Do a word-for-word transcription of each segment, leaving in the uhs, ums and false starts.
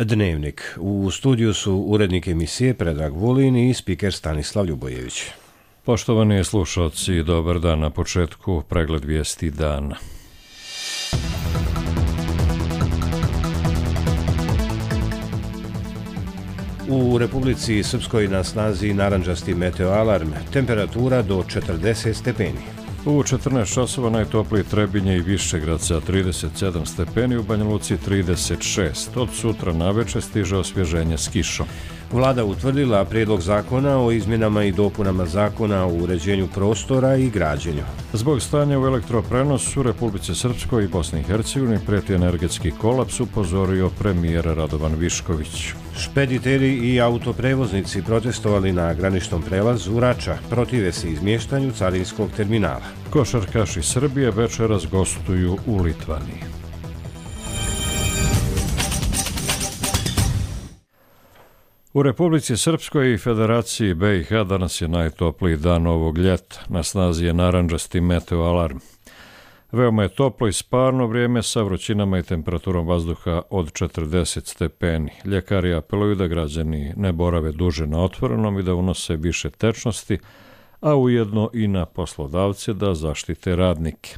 Dnevnik. U studiju su urednik emisije Predrag Vulin i spiker Stanislav Ljubojević. Poštovani slušalci, dobar dan. Na početku pregled vijesti dana. U Republici Srpskoj na snazi narandžasti meteoalarm, temperatura do četrdeset stepeni. U četrnaest časova najtopliji Trebinje i Višegrad sa trideset sedam stepeni, u Banja Luci trideset šest. Od sutra naveče stiže osvježenje s kišom. Vlada utvrdila prijedlog zakona o izmjenama i dopunama zakona o uređenju prostora i građenju. Zbog stanja u elektroprenosu u Republici Srpskoj i Bosni i Hercegovini prijeti energetski kolaps, upozorio premijer Radovan Višković. Špediteri i autoprevoznici protestovali na graničnom prelazu Rača, protive se izmještanju carinskog terminala. Košarkaši Srbije večeras gostuju u Litvaniji. U Republici Srpskoj i Federaciji B i H danas je najtopliji dan ovog ljeta. Na snazi je narandžasti meteoalarm. Veoma je toplo i sparno vrijeme sa vrućinama i temperaturom vazduha od četrdeset stepeni. Ljekari apeluju da građani ne borave duže na otvorenom i da unose više tečnosti, a ujedno i na poslodavce da zaštite radnike.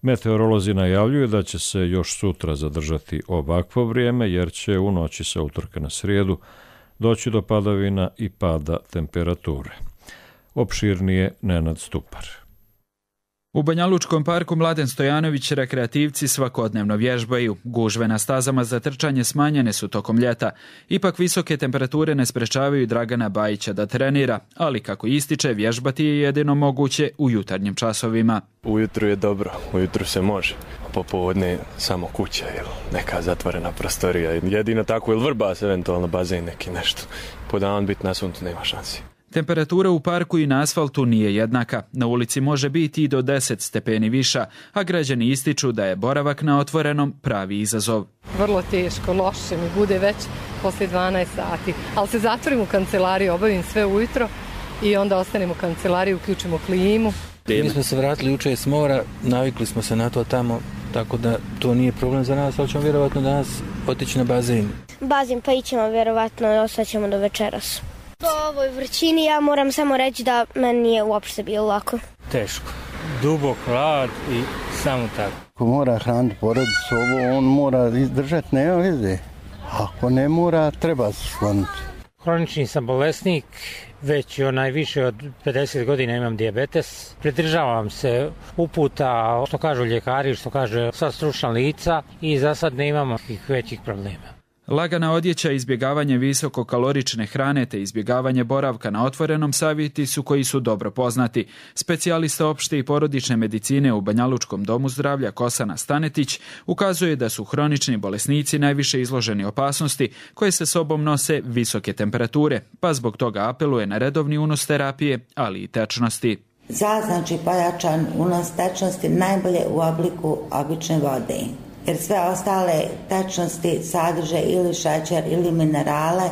Meteorolozi najavljuju da će se još sutra zadržati ovakvo vrijeme, jer će u noći sa utorka na srijedu doći do padavina i pada temperature. Opširnije Nenad Stupar. U Banjalučkom parku Mladen Stojanović rekreativci svakodnevno vježbaju. Gužve na stazama za trčanje smanjene su tokom ljeta. Ipak visoke temperature ne sprečavaju Dragana Bajića da trenira, ali kako ističe, vježbati je jedino moguće u jutarnjim časovima. Ujutru je dobro, ujutru se može. Popodne samo kuća ili neka zatvorena prostorija. Jedino tako ili vrbas, eventualno bazen neki nešto. Po dan biti na suncu nema šansi. Temperatura u parku i na asfaltu nije jednaka. Na ulici može biti i do deset stepeni viša, a građani ističu da je boravak na otvorenom pravi izazov. Vrlo teško, loše mi bude već poslije dvanaest sati, ali se zatvorim u kancelariju, obavim sve ujutro i onda ostanem u kancelariji, uključimo klimu. Mi smo se vratili jučer s mora, navikli smo se na to tamo, tako da to nije problem za nas, ali ćemo vjerovatno danas otići na bazen. Bazen pa ićemo vjerovatno i ostaćemo do večeras. Po ovoj vrućini ja moram samo reći da meni nije uopšte bilo lako. Teško. Dubok hlad i samo tako. Ako mora hraniti porodicu, ovo on mora izdržati, nema veze. Ako ne mora, treba se skloniti. Hronični sam bolesnik, već onaj više od pedeset godina imam dijabetes. Pridržavam se uputa, što kažu ljekari, što kaže sva stručna lica i za sad ne imamo većih problema. Lagana odjeća, izbjegavanje visokokalorične hrane te izbjegavanje boravka na otvorenom savjeti su koji su dobro poznati. Specijalista opšte i porodične medicine u Banjalučkom domu zdravlja Kosana Stanetić ukazuje da su hronični bolesnici najviše izloženi opasnosti koje se sobom nose visoke temperature, pa zbog toga apeluje na redovni unos terapije, ali i tečnosti. Za znači pojačan unos tečnosti najbolje u obliku obične vode. Jer sve ostale tečnosti sadrže ili šećer ili minerale.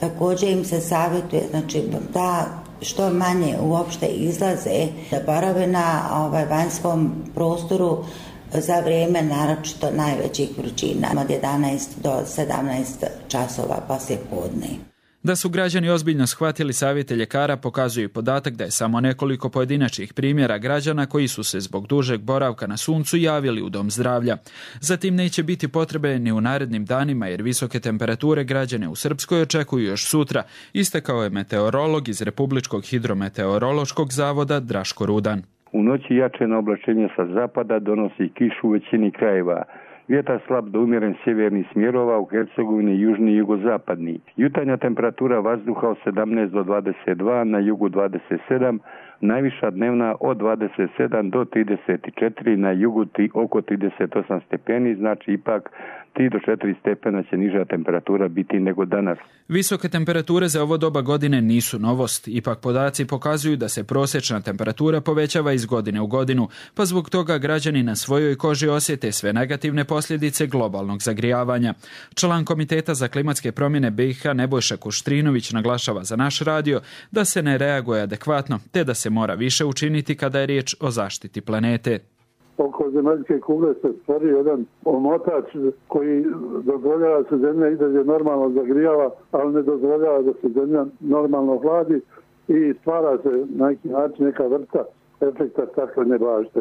Također im se savjetuje znači, da što manje uopšte izlaze, da borave na ovaj, vanjskom prostoru za vrijeme naročito najvećih vrućina od jedanaest do sedamnaest časova poslije podne. Da su građani ozbiljno shvatili savjete ljekara pokazuje podatak da je samo nekoliko pojedinačnih primjera građana koji su se zbog dužeg boravka na suncu javili u dom zdravlja. Zatim neće biti potrebe ni u narednim danima jer visoke temperature građane u Srpskoj očekuju još sutra, istakao je meteorolog iz Republičkog hidrometeorološkog zavoda Draško Rudan. U noći jačeno oblačenje sa zapada donosi kišu u većini krajeva. Vjetar slab do umjeren sjevernih smjerova u Hercegovini južni i jugozapadni. Jutarnja temperatura vazduha od sedamnaest do dvadeset dva, na jugu dvadeset sedam, najviša dnevna od dvadeset sedam do trideset četiri, na jugu oko trideset osam stepeni, znači ipak tri do četiri stepena će niža temperatura biti nego danas. Visoke temperature za ovo doba godine nisu novost, ipak podaci pokazuju da se prosječna temperatura povećava iz godine u godinu, pa zbog toga građani na svojoj koži osjete sve negativne posljedice globalnog zagrijavanja. Član Komiteta za klimatske promjene B i H Nebojša Kuštrinović naglašava za naš radio da se ne reaguje adekvatno, te da se mora više učiniti kada je riječ o zaštiti planete. oko zemaljske kugle se stvorio jedan omotač koji dozvoljava se zemlja i dalje normalno zagrijava, ali ne dozvoljava da se zemlja normalno hladi i stvara se na neki način neka vrsta efekta staklene bašte.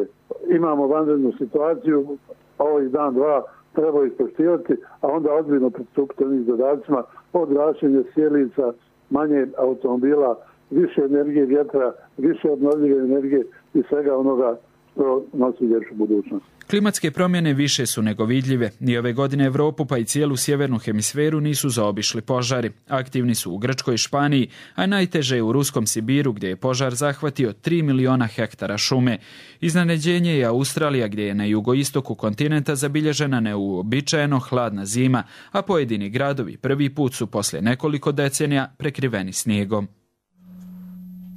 Imamo vanrednu situaciju, ovih dan, dva treba ispoštivati, a onda ozbiljno pristupiti ovim zadacima od gašenja sjelica, manje automobila, više energije vjetra, više obnovljive energije i svega onoga što nosi ljepšu budućnost. Klimatske promjene više su nego vidljive. Ni ove godine Europu pa i cijelu sjevernu hemisferu nisu zaobišli požari. Aktivni su u Grčkoj i Španiji, a najteže je u ruskom Sibiru gdje je požar zahvatio tri miliona hektara šume. Iznenađenje je Australija gdje je na jugoistoku kontinenta zabilježena neuobičajeno hladna zima, a pojedini gradovi prvi put su poslije nekoliko decenija prekriveni snijegom.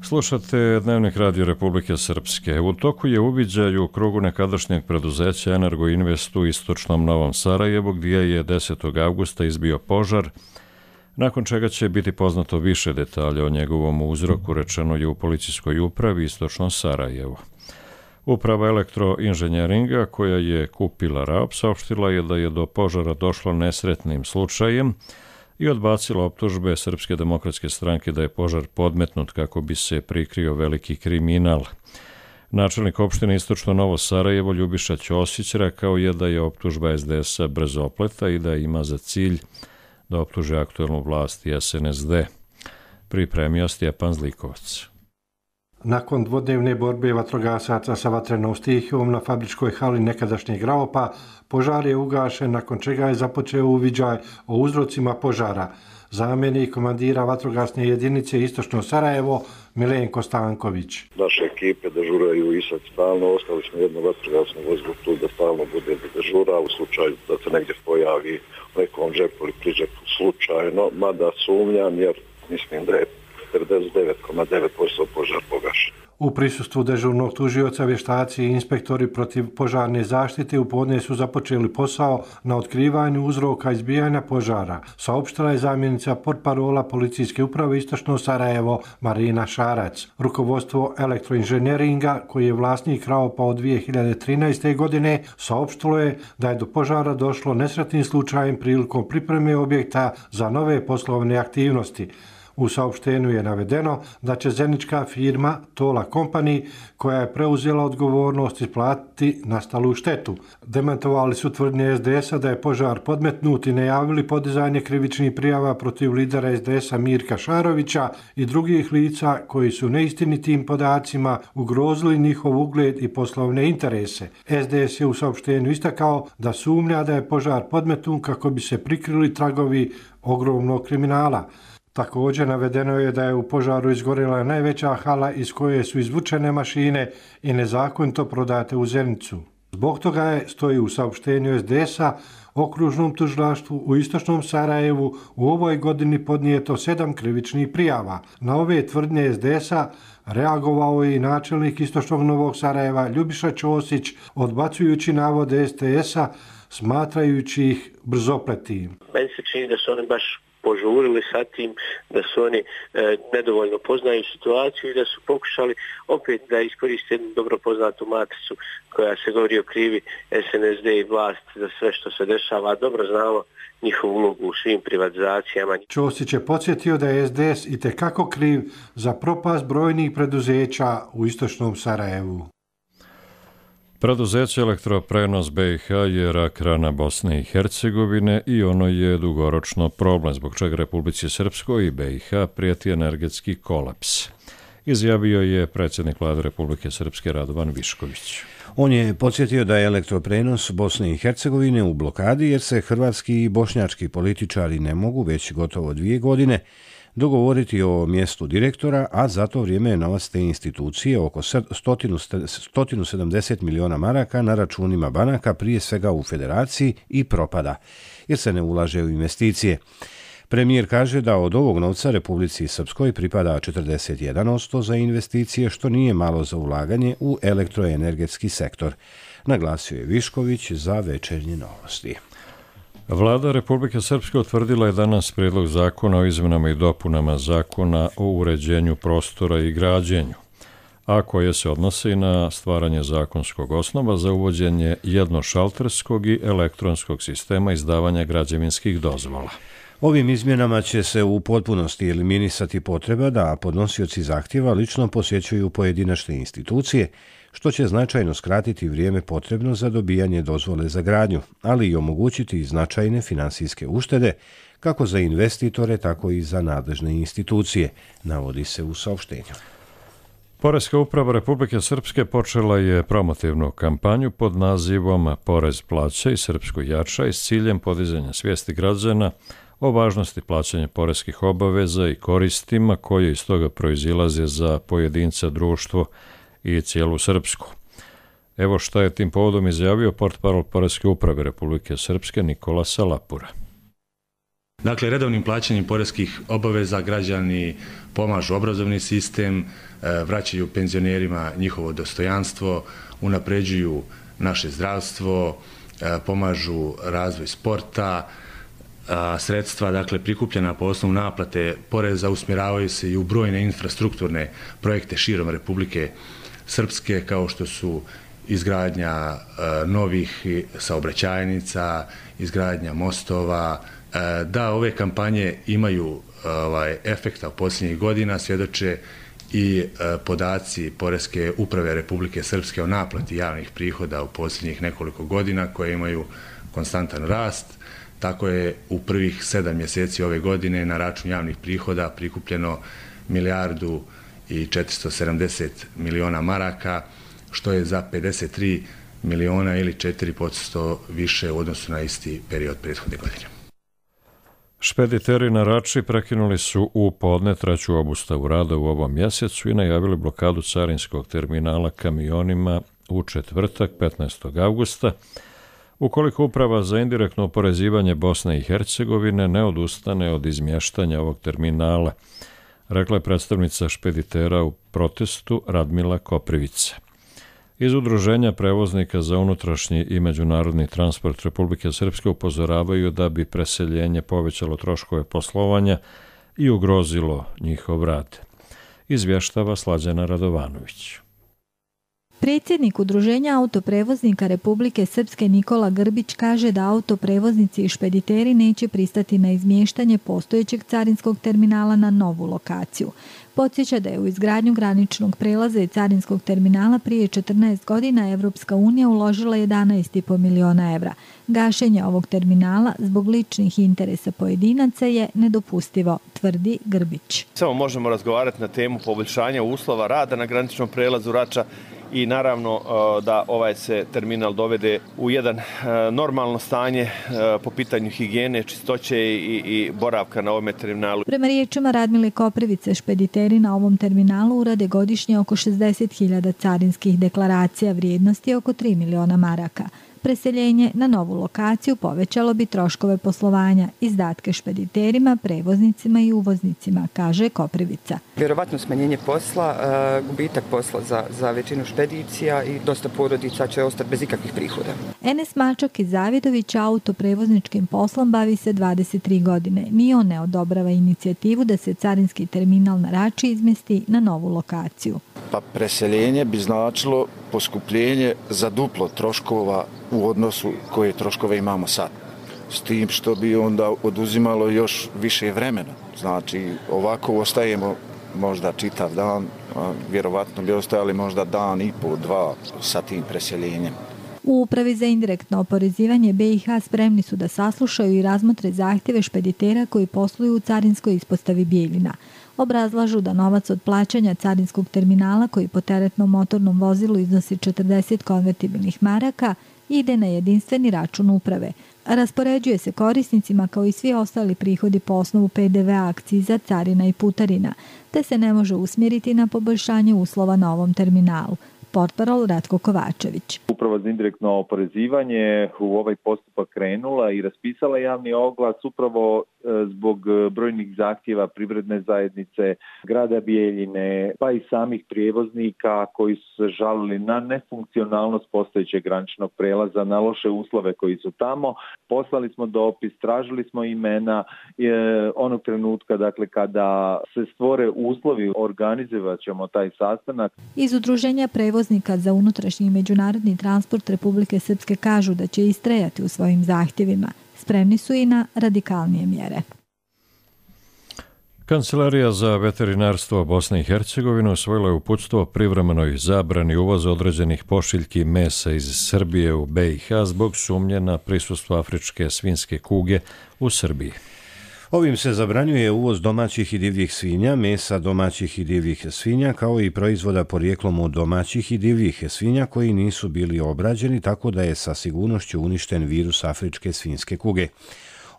Slušate Dnevnik Radio Republike Srpske. U toku je uviđaj u krugu nekadašnjeg preduzeća Energoinvest u istočnom Novom Sarajevu, gdje je desetog avgusta izbio požar, nakon čega će biti poznato više detalja o njegovom uzroku, rečeno je u policijskoj upravi istočnom Sarajevu. Uprava elektroinženjeringa, koja je kupila R A O P, saopštila je da je do požara došlo nesretnim slučajem i odbacila optužbe Srpske demokratske stranke da je požar podmetnut kako bi se prikrio veliki kriminal. Načelnik opštine Istočno Novo Sarajevo Ljubiša Ćosić rekao je da je optužba S D S-a brzopleta i da ima za cilj da optuže aktuelnu vlast i S N S D. Pripremio Stjepan Zlikovac. Nakon dvodnevne borbe vatrogasaca sa vatrenom stihijom na fabričkoj hali nekadašnjeg R A O P-a, požar je ugašen, nakon čega je započeo uviđaj o uzrocima požara. Zamjenik komandira vatrogasne jedinice Istočno Sarajevo Milenko Stanković. Naše ekipe dežuraju i sad stalno, ostali smo jedno vatrogasno vozilo tu da stalno bude dežura u slučaju da se negdje pojavi u nekom džepu ili priđepu slučajno, mada sumnjam jer mislim da je devedeset devet zarez devet posto požar pogašen. U prisustvu dežurnog tužioca vještaci i inspektori protiv požarne zaštite u podne su započeli posao na otkrivanju uzroka izbijanja požara, saopštila je zamjenica portparola policijske uprave Istočno Sarajevo Marina Šarac. Rukovodstvo elektroinženjeringa, koji je vlasnik R A O P-a od dvije hiljade trinaeste. godine, saopštilo je da je do požara došlo nesretnim slučajem prilikom pripreme objekta za nove poslovne aktivnosti. U saopštenju je navedeno da će zenička firma Tola Company, koja je preuzela odgovornost, isplatiti nastalu štetu. Demantovali su tvrdnje S D S-a da je požar podmetnut i najavili podizanje krivičnih prijava protiv lidera S D S-a Mirka Šarovića i drugih lica koji su neistinitim podacima ugrozili njihov ugled i poslovne interese. S D S je u saopštenju istakao da sumnja da je požar podmetnut kako bi se prikrili tragovi ogromnog kriminala. Također navedeno je da je u požaru izgorjela najveća hala iz koje su izvučene mašine i nezakonito prodate u Zenicu. Zbog toga je, stoji u saopštenju S D S-a, okružnom tužilaštvu u Istočnom Sarajevu u ovoj godini podnijeto sedam krivičnih prijava. Na ove tvrdnje S D S-a reagovao je i načelnik Istočnog Novog Sarajeva Ljubiša Ćosić, odbacujući navode S D S-a, smatrajući ih brzopletim. Meni se čini da su oni baš požurili sa tim, da su oni e, nedovoljno poznaju situaciju i da su pokušali opet da iskoriste jednu dobro poznatu matricu koja se govori o krivi S N S D i vlast za sve što se dešava. Dobro znamo njihovu ulogu u svim privatizacijama. Ćosić je podsjetio da je S D S itekako kriv za propast brojnih preduzeća u Istočnom Sarajevu. Preduzeće Elektroprenos B i H je rak rana Bosne i Hercegovine i ono je dugoročno problem, zbog čega Republici Srpskoj i B i H prijeti energetski kolaps. Izjavio je predsjednik vlade Republike Srpske Radovan Višković. On je podsjetio da je Elektroprenos Bosne i Hercegovine u blokadi jer se hrvatski i bošnjački političari ne mogu već gotovo dvije godine dogovoriti o mjestu direktora, a za to vrijeme je novac te institucije oko sto sedamdeset miliona maraka na računima banaka, prije svega u federaciji, i propada, jer se ne ulaže u investicije. Premijer kaže da od ovog novca Republici Srpskoj pripada četrdeset jedan posto za investicije, što nije malo za ulaganje u elektroenergetski sektor, naglasio je Višković za Večernje novosti. Vlada Republike Srpske utvrdila je danas prijedlog zakona o izmjenama i dopunama zakona o uređenju prostora i građenju. a koje se odnose na stvaranje zakonskog osnova za uvođenje jednošalterskog i elektronskog sistema izdavanja građevinskih dozvola. Ovim izmjenama će se u potpunosti eliminisati potreba da podnosioci zahtjeva lično posjećuju pojedinačne institucije, što će značajno skratiti vrijeme potrebno za dobijanje dozvole za gradnju, ali i omogućiti značajne finansijske uštede, kako za investitore, tako i za nadležne institucije, navodi se u saopštenju. Poreska uprava Republike Srpske počela je promotivnu kampanju pod nazivom Porez plaća i Srpsku jača i s ciljem podizanja svijesti građana o važnosti plaćanja poreskih obaveza i koristima koje iz toga proizilaze za pojedinca, društvo i cijelu Srpsku. Evo šta je tim povodom izjavio portparol Poreske uprave Republike Srpske Nikola Salapura. Dakle, redovnim plaćanjem poreskih obaveza građani pomažu obrazovni sistem, vraćaju penzionerima njihovo dostojanstvo, unapređuju naše zdravstvo, pomažu razvoj sporta, sredstva, dakle, prikupljena po osnovu naplate poreza usmjeravaju se i u brojne infrastrukturne projekte širom Republike Srpske, kao što su izgradnja novih saobraćajnica, izgradnja mostova. Da ove kampanje imaju ovaj, efekta u posljednjih godina svjedoče i podaci Poreske uprave Republike Srpske o naplati javnih prihoda u posljednjih nekoliko godina koje imaju konstantan rast. Tako je u prvih sedam mjeseci ove godine na račun javnih prihoda prikupljeno milijardu i četiristo sedamdeset miliona maraka, što je za pedeset tri miliona ili četiri posto više u odnosu na isti period prethodne godine. Špediteri na Rači prekinuli su u podne treću obustavu rada u ovom mjesecu i najavili blokadu carinskog terminala kamionima u četvrtak petnaestog avgusta, ukoliko Uprava za indirektno oporezivanje Bosne i Hercegovine ne odustane od izmještanja ovog terminala, rekla je predstavnica špeditera u protestu Radmila Koprivica. Iz Udruženja prevoznika za unutrašnji i međunarodni transport Republike Srpske upozoravaju da bi preseljenje povećalo troškove poslovanja i ugrozilo njihov rad. Izvještava Slađana Radovanović. Predsjednik Udruženja autoprevoznika Republike Srpske Nikola Grbić kaže da autoprevoznici i špediteri neće pristati na izmještanje postojećeg carinskog terminala na novu lokaciju. Podsjeća da je u izgradnju graničnog prelaza i carinskog terminala prije četrnaest godina Evropska unija uložila jedanaest i po miliona evra. Gašenje ovog terminala zbog ličnih interesa pojedinaca je nedopustivo, tvrdi Grbić. Samo možemo razgovarati na temu poboljšanja uslova rada na graničnom prelazu Rača i naravno da ovaj se terminal dovede u jedan normalno stanje po pitanju higijene, čistoće i, i boravka na ovom terminalu. Prema riječima Radmile Koprivice, špediteri na ovom terminalu urade godišnje oko šezdeset hiljada carinskih deklaracija vrijednosti oko tri miliona maraka. Preseljenje na novu lokaciju povećalo bi troškove poslovanja, izdatke špediterima, prevoznicima i uvoznicima, kaže Koprivica. Vjerovatno smanjenje posla, gubitak posla za, za većinu špedicija i dosta porodica će ostati bez ikakvih prihoda. Enes Mačak iz Zavidovića autoprevozničkim poslom bavi se dvadeset tri godine. Ni on ne odobrava inicijativu da se carinski terminal na Rači izmjesti na novu lokaciju. Pa preseljenje bi značilo poskupljenje za duplo troškova u odnosu koje troškove imamo sad. S tim što bi onda oduzimalo još više vremena. Znači ovako ostajemo možda čitav dan, a vjerovatno bi ostajali možda dan i po, dva sa tim preseljenjem. U Upravi za indirektno oporezivanje B i H spremni su da saslušaju i razmotre zahtjeve špeditera koji posluju u carinskoj ispostavi Bijeljina. Obrazlažu da novac od plaćanja carinskog terminala koji po teretnom motornom vozilu iznosi četrdeset konvertibilnih maraka ide na jedinstveni račun uprave. Raspoređuje se korisnicima kao i svi ostali prihodi po osnovu P D V-a, akciza, carina i putarina, te se ne može usmjeriti na poboljšanje uslova na ovom terminalu. Portparol Ratko Kovačević. Uprava uprava za indirektno oporezivanje u ovaj postupak krenula i raspisala javni oglas upravo zbog brojnih zahtjeva privredne zajednice, grada Bijeljine, pa i samih prijevoznika koji su se žalili na nefunkcionalnost postojećeg graničnog prelaza, na loše uslove koji su tamo. Poslali smo dopis, tražili smo imena je, onog trenutka dakle, kada se stvore uslovi, organizovat ćemo taj sastanak. Iz Udruženja prevoznika za unutrašnji i međunarodni transport Republike Srpske kažu da će istrajati u svojim zahtjevima. Spremni su i na radikalnije mjere. Kancelarija za veterinarstvo Bosne i Hercegovine usvojila je uputstvo o privremenoj zabrani uvoza određenih pošiljki mesa iz Srbije u B i H zbog sumnje na prisustvo afričke svinjske kuge u Srbiji. Ovim se zabranjuje uvoz domaćih i divljih svinja, mesa domaćih i divljih svinja, kao i proizvoda porijeklom od domaćih i divljih svinja koji nisu bili obrađeni, tako da je sa sigurnošću uništen virus afričke svinjske kuge.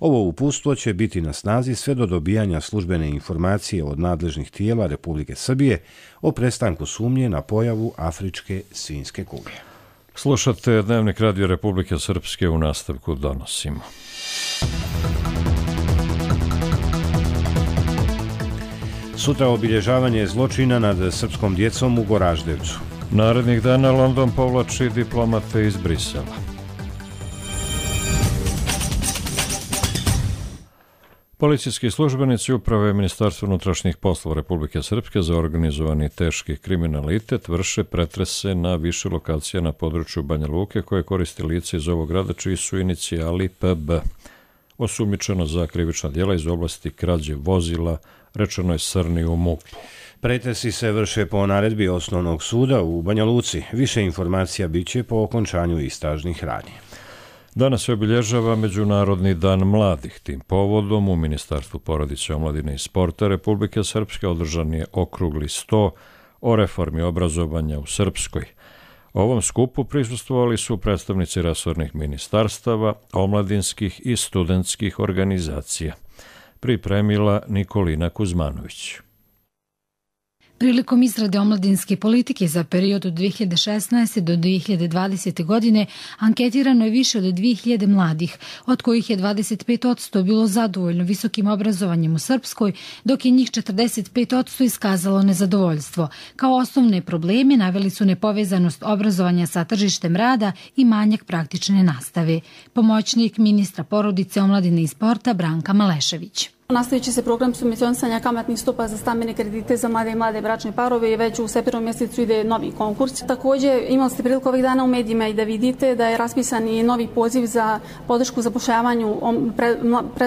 Ovo uputstvo će biti na snazi sve do dobijanja službene informacije od nadležnih tijela Republike Srbije o prestanku sumnje na pojavu afričke svinjske kuge. Slušate Dnevnik Radio Republike Srpske, u nastavku donosimo. Sutra obilježavanje zločina nad srpskom djecom u Goraždevcu. Narednih dana London povlači diplomate iz Brisela. Policijski službenici uprave Ministarstva unutrašnjih poslova Republike Srpske za organizovani teški kriminalitet vrše pretrese na više lokacija na području Banja Luke koje koristi lice iz ovog grada čiji su inicijali P B. Osumnjičeno za krivična djela iz oblasti krađe vozila, rečeno je Srni u M U P-u. Pretresi se vrše po naredbi Osnovnog suda u Banja Luci. Više informacija biće po okončanju istražnih radnji. Danas se obilježava Međunarodni dan mladih. Tim povodom u Ministarstvu porodice, omladine i sporta Republike Srpske održan je okrugli sto o reformi obrazovanja u Srpskoj. Ovom skupu prisustvovali su predstavnici resornih ministarstava, omladinskih i studentskih organizacija. Pripremila Nikolina Kuzmanović. Prilikom izrade omladinske politike za period od dvije hiljade šesnaeste. do dvije hiljade dvadesete. godine anketirano je više od dvije hiljade mladih, od kojih je dvadeset pet posto bilo zadovoljno visokim obrazovanjem u Srpskoj, dok je njih četrdeset pet posto iskazalo nezadovoljstvo. Kao osnovne probleme naveli su nepovezanost obrazovanja sa tržištem rada i manjak praktične nastave. Pomoćnik ministra porodice, omladine i sporta Branka Malešević. Nastavit će se program subvencionisanja kamatnih stopa za stambene kredite za mlade i mlade bračne parove i već u septembru mjesecu ide novi konkurs. Također imali ste priliku ovih dana u medijima i da vidite da je raspisan i novi poziv za podršku zapošljavanju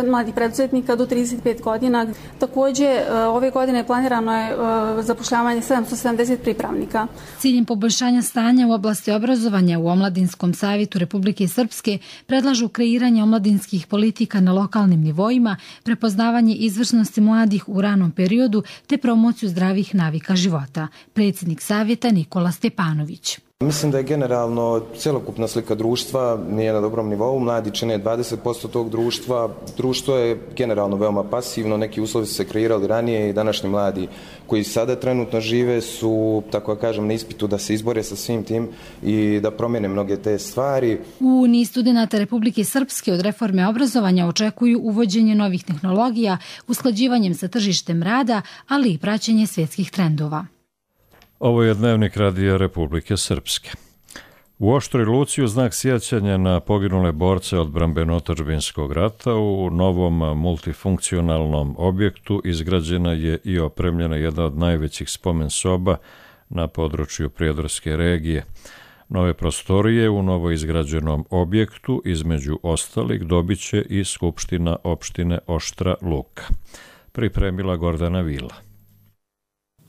mladih preduzetnika do trideset pet godina. Također ove godine planirano je zapošljavanje sedamsto sedamdeset pripravnika. Ciljem poboljšanja stanja u oblasti obrazovanja u Omladinskom savjetu Republike Srpske predlažu kreiranje omladinskih politika na lokalnim nivoima, prepoznavanje izvrsnosti mladih u ranom periodu te promociju zdravih navika života. Predsjednik savjeta Nikola Stepanović. Mislim da je generalno cjelokupna slika društva nije na dobrom nivou. Mladi čine dvadeset posto tog društva. Društvo je generalno veoma pasivno. Neki uslovi su se kreirali ranije i današnji mladi koji sada trenutno žive su, tako da kažem, na ispitu da se izbore sa svim tim i da promijene mnoge te stvari. U niz studenata Republike Srpske od reforme obrazovanja očekuju uvođenje novih tehnologija, usklađivanjem sa tržištem rada, ali i praćenje svjetskih trendova. Ovo je Dnevnik Radija Republike Srpske. U Oštroj Luci u znak sjećanja na poginule borce odbrambeno-otadžbinskog rata u novom multifunkcionalnom objektu izgrađena je i opremljena jedna od najvećih spomen soba na području Prijedorske regije. Nove prostorije u novo izgrađenom objektu između ostalih dobit će i Skupština opštine Oštra Luka. Pripremila Gordana Vila.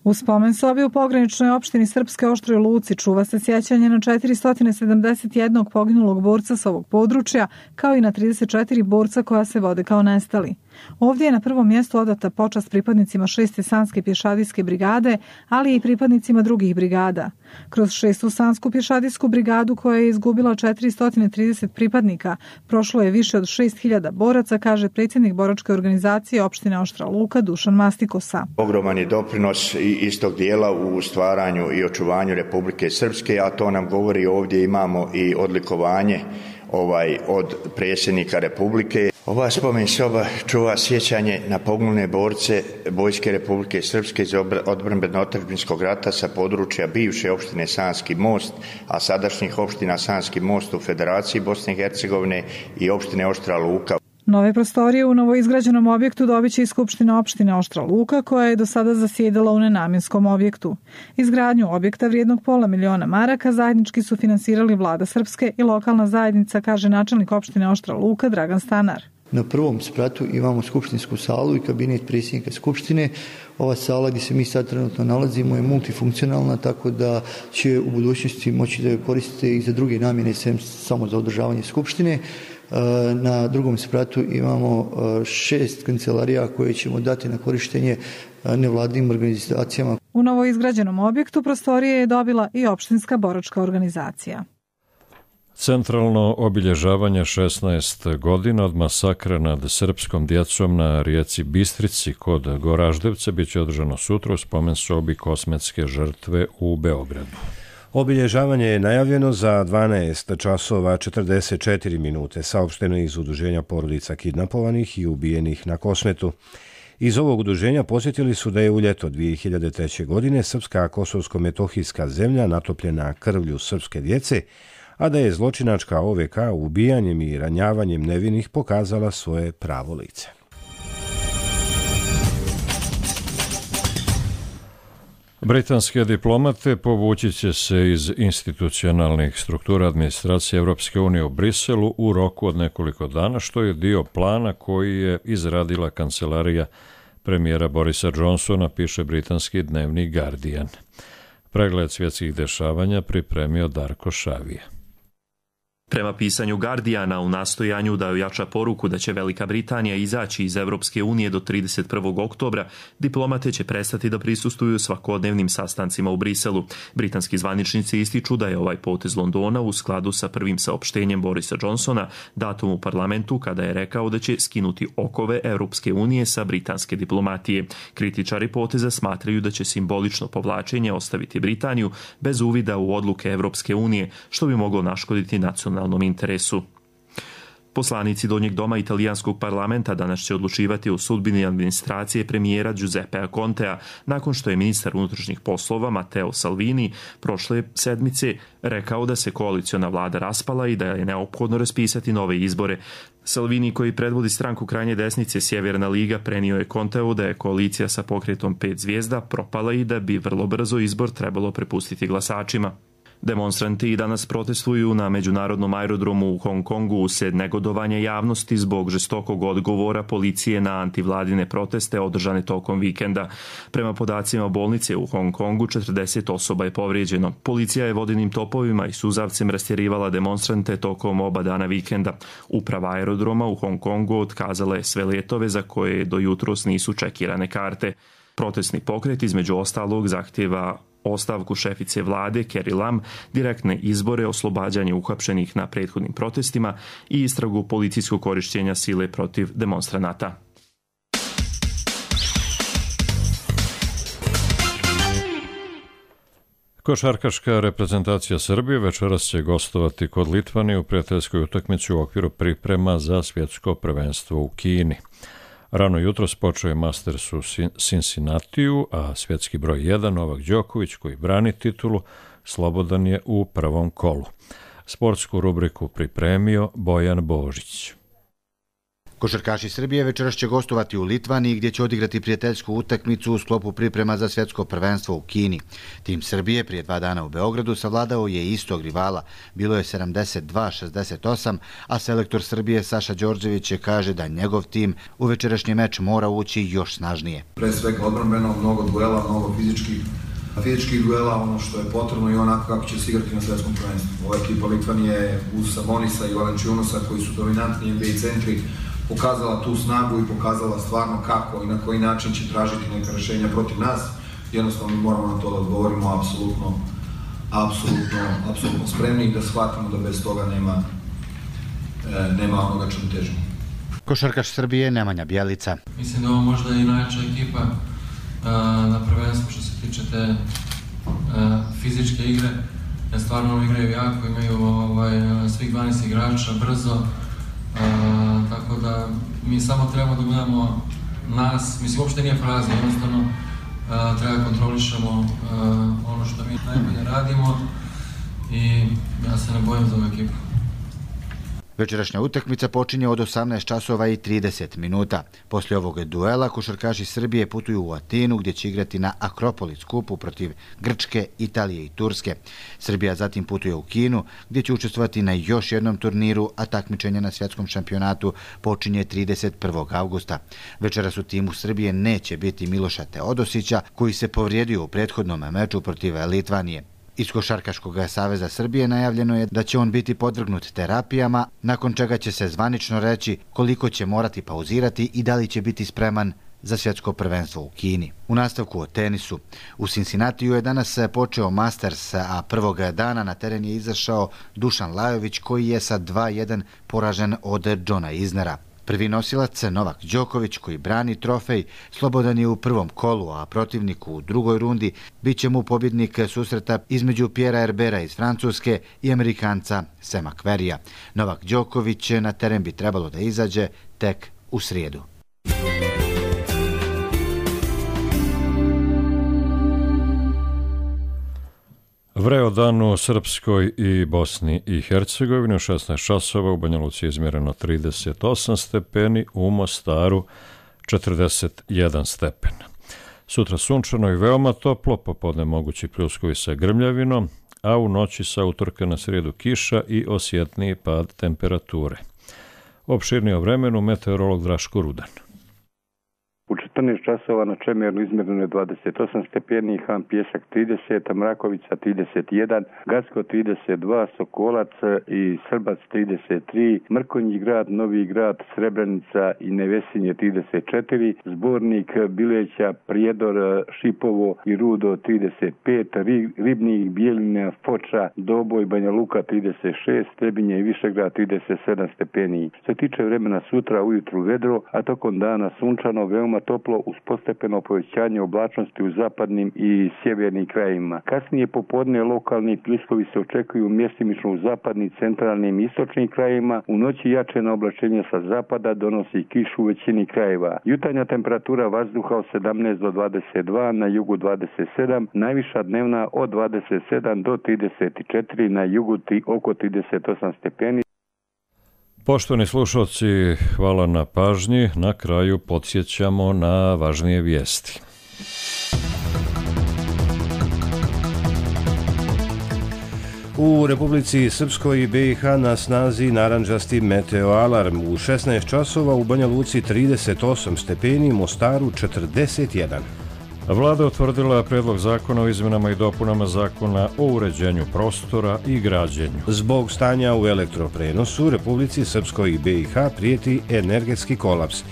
U spomen sobi u pograničnoj opštini Srpske Oštroj Luci čuva se sjećanje na četiristo sedamdeset jedan poginulog borca s ovog područja, kao i na trideset četiri borca koja se vode kao nestali. Ovdje je na prvom mjestu odata počast pripadnicima šeste Sanske pješadijske brigade, ali i pripadnicima drugih brigada. Kroz šestu Sansku pješadijsku brigadu, koja je izgubila četiristo trideset pripadnika, prošlo je više od šest hiljada boraca, kaže predsjednik boračke organizacije opštine Oštra Luka Dušan Mastikosa. Ogroman je doprinos istog dijela u stvaranju i očuvanju Republike Srpske, a to nam govori ovdje imamo i odlikovanje ovaj od predsjednika Republike. Ova spomen soba čuva sjećanje na poginule borce Vojske Republike Srpske iz odbrambeno-otadžbinskog rata sa područja bivše opštine Sanski Most, a sadašnjih opština Sanski Most u Federaciji Bosne i Hercegovine i opštine Oštra Luka. Nove prostorije u novoizgrađenom objektu dobit će i Skupština opštine Oštra Luka, koja je do sada zasjedala u nenamjenskom objektu. Izgradnju objekta vrijednog pola miliona maraka zajednički su finansirali Vlada Srpske i lokalna zajednica, kaže načelnik opštine Oštra Luka Dragan Stanar. Na prvom spratu imamo skupštinsku salu i kabinet predsjednika Skupštine. Ova sala gdje se mi sad trenutno nalazimo je multifunkcionalna, tako da će u budućnosti moći da je koristite i za druge namjene, sem samo za održavanje Skupštine. Na drugom spratu imamo šest kancelarija koje ćemo dati na korištenje nevladinim organizacijama. U novoizgrađenom objektu prostorije je dobila i opštinska boračka organizacija. Centralno obilježavanje šesnaest godina od masakra nad srpskom djecom na rijeci Bistrici kod Goraždevca bit će održano sutra u spomen sobi Kosmetske žrtve u Beogradu. Obilježavanje je najavljeno za dvanaest časova četrdeset četiri minute, saopšteno iz udruženja porodica kidnapovanih i ubijenih na Kosmetu. Iz ovog udruženja posjetili su da je u ljeto dvije hiljade treće. godine srpska kosovsko-metohijska zemlja natopljena krvlju srpske djece, a da je zločinačka O V K ubijanjem i ranjavanjem nevinih pokazala svoje pravo lice. Britanske diplomate povući će se iz institucionalnih struktura administracije Europske unije u Briselu u roku od nekoliko dana, što je dio plana koji je izradila kancelarija premijera Borisa Johnsona, piše britanski dnevnik Guardian. Pregled svjetskih dešavanja pripremio Darko Šavija. Prema pisanju Guardiana, u nastojanju da ojača poruku da će Velika Britanija izaći iz Europske unije do trideset prvog oktobra, diplomate će prestati da prisustvuju svakodnevnim sastancima u Briselu. Britanski zvaničnici ističu da je ovaj potez Londona u skladu sa prvim saopštenjem Borisa Johnsona, datum u parlamentu kada je rekao da će skinuti okove Europske unije sa britanske diplomatije. Kritičari poteza smatraju da će simbolično povlačenje ostaviti Britaniju bez uvida u odluke Europske unije, što bi moglo naškoditi nacionalnom interesu. Poslanici Donjeg doma italijanskog parlamenta danas će odlučivati o sudbini administracije premijera Giuseppea Contea, nakon što je ministar unutrašnjih poslova Matteo Salvini prošle sedmice rekao da se koaliciona vlada raspala i da je neophodno raspisati nove izbore. Salvini, koji predvodi stranku krajnje desnice Sjeverna liga, prenio je Conteu da je koalicija sa pokretom pet zvijezda propala i da bi vrlo brzo izbor trebalo prepustiti glasačima. Demonstranti i danas protestuju na međunarodnom aerodromu u Hong Kongu usred negodovanja javnosti zbog žestokog odgovora policije na antivladine proteste održane tokom vikenda. Prema podacima bolnice u Hong Kongu, četrdeset osoba je povrijeđeno. Policija je vodenim topovima i suzavcem rastjerivala demonstrante tokom oba dana vikenda. Uprava aerodroma u Hong Kongu otkazala je sve letove za koje do jutros nisu čekirane karte. Protestni pokret između ostalog zahtjeva ostavku šefice vlade Carrie Lam, direktne izbore, oslobađanje uhapšenih na prethodnim protestima i istragu policijskog korištenja sile protiv demonstranata. Košarkaška reprezentacija Srbije večeras će gostovati kod Litvanije u prijateljskoj utakmici u okviru priprema za svjetsko prvenstvo u Kini. Rano jutros počeo je Masters u Cincinnatiju, a svjetski broj jedan Novak Đoković, koji brani titulu, slobodan je u prvom kolu. Sportsku rubriku pripremio Bojan Božić. Košarkaši Srbije večeras će gostovati u Litvaniji, gdje će odigrati prijateljsku utakmicu u sklopu priprema za svjetsko prvenstvo u Kini. Tim Srbije prije dva dana u Beogradu savladao je istog rivala. Bilo je sedamdeset dva šezdeset osam, a selektor Srbije Saša Đorđević je kaže da njegov tim u večerašnji meč mora ući još snažnije. Pre svega odbrambeno, mnogo duela, mnogo fizičkih fizičkih duela, ono što je potrebno i onako kako će se igrati na svjetskom prvenstvu. Ova ekipa Litvanije uz Sabonisa i Valenčiunosa, koji su dominantni N B A centri, pokazala tu snagu i pokazala stvarno kako i na koji način će tražiti neka rješenja protiv nas. Jednostavno mi moramo na to da odgovorimo apsolutno, apsolutno, apsolutno spremni i da shvatimo da bez toga nema, e, nema onoga čemu težimo. Košarkaš Srbije Nemanja Bjelica. Mislim da ovo možda je i najjača ekipa a, na prvenstvu što se tiče te a, fizičke igre. Ja stvarno igraju jako, imaju ovaj, svih dvanaest igrača brzo, a, tako da mi samo trebamo da gledamo nas, mislim uopšte nije fraza, jednostavno a, treba kontrolišemo a, ono što mi najbolje radimo i ja se ne bojim za ovu ekipu. Večerašnja utakmica počinje od osamnaest časova i trideset minuta. Poslije ovog duela košarkaši Srbije putuju u Atinu gdje će igrati na Akropolis kupu protiv Grčke, Italije i Turske. Srbija zatim putuje u Kinu gdje će učestvovati na još jednom turniru, a takmičenje na svjetskom šampionatu počinje trideset prvog avgusta. Večeras u timu Srbije neće biti Miloša Teodosića koji se povrijedio u prethodnom meču protiv Litvanije. Iz Košarkaškog saveza Srbije najavljeno je da će on biti podvrgnut terapijama, nakon čega će se zvanično reći koliko će morati pauzirati i da li će biti spreman za svjetsko prvenstvo u Kini. U nastavku o tenisu. U Cincinnatiju je danas počeo Masters, a prvog dana na teren je izašao Dušan Lajović koji je sa dva jedan poražen od Johna Isnera. Prvi nosilac Novak Đoković koji brani trofej slobodan je u prvom kolu, a protivnik u drugoj rundi bit će mu pobjednik susreta između Pierre Herbera iz Francuske i Amerikanca Sema Querrya. Novak Đoković na teren bi trebalo da izađe tek u srijedu. Vreo dan u Srpskoj i Bosni i Hercegovini u šesnaest časova, u Banja Luci je izmjereno trideset osam stepeni, u Mostaru četrdeset jedan stepen. Sutra sunčano i veoma toplo, popodne mogući pljuskovi sa grmljavinom, a u noći sa utorka na srijedu kiša i osjetniji pad temperature. Opširnije o vremenu meteorolog Draško Rudan. U četrnaest časova na Čemernu izmjereno je dvadeset osam stepeni, Han Pjesak trideset, Mrakovica trideset jedan, Gacko trideset dva, Sokolac i Srbac trideset tri, Mrkonji grad, Novi grad, Srebrenica i Nevesinje trideset četiri, Zbornik, Bileća, Prijedor, Šipovo i Rudo trideset pet, Ribnik, Bijeljina, Foča, Doboj, Banja Luka trideset šest, Trebinje i Višegrad trideset sedam stepeni. Što se tiče vremena sutra ujutru vedro, a tokom dana sunčano, veoma toplo uz postepeno povećanje oblačnosti u zapadnim i sjevernim krajevima. Kasnije popodne lokalni pljuskovi se očekuju mjestimično u zapadnim, centralnim i istočnim krajevima. U noći jačeno oblačenje sa zapada donosi kišu u većini krajeva. Jutarnja temperatura vazduha od sedamnaest do dvadeset dva, na jugu dvadeset sedam, najviša dnevna od dvadeset sedam do trideset četiri, na jugu oko trideset osam stepeni. Poštovani slušalci, hvala na pažnji. Na kraju podsjećamo na važnije vijesti. U Republici Srpskoj i B i H na snazi narandžasti meteo alarm. U šesnaest časova u Banja Luci trideset osam stepeni, Mostaru četrdeset jedan. Vlada utvrdila predlog zakona o izmenama i dopunama zakona o uređenju prostora i građenju. Zbog stanja u elektroprenosu Republici Srpskoj i B i H prijeti energetski kolaps.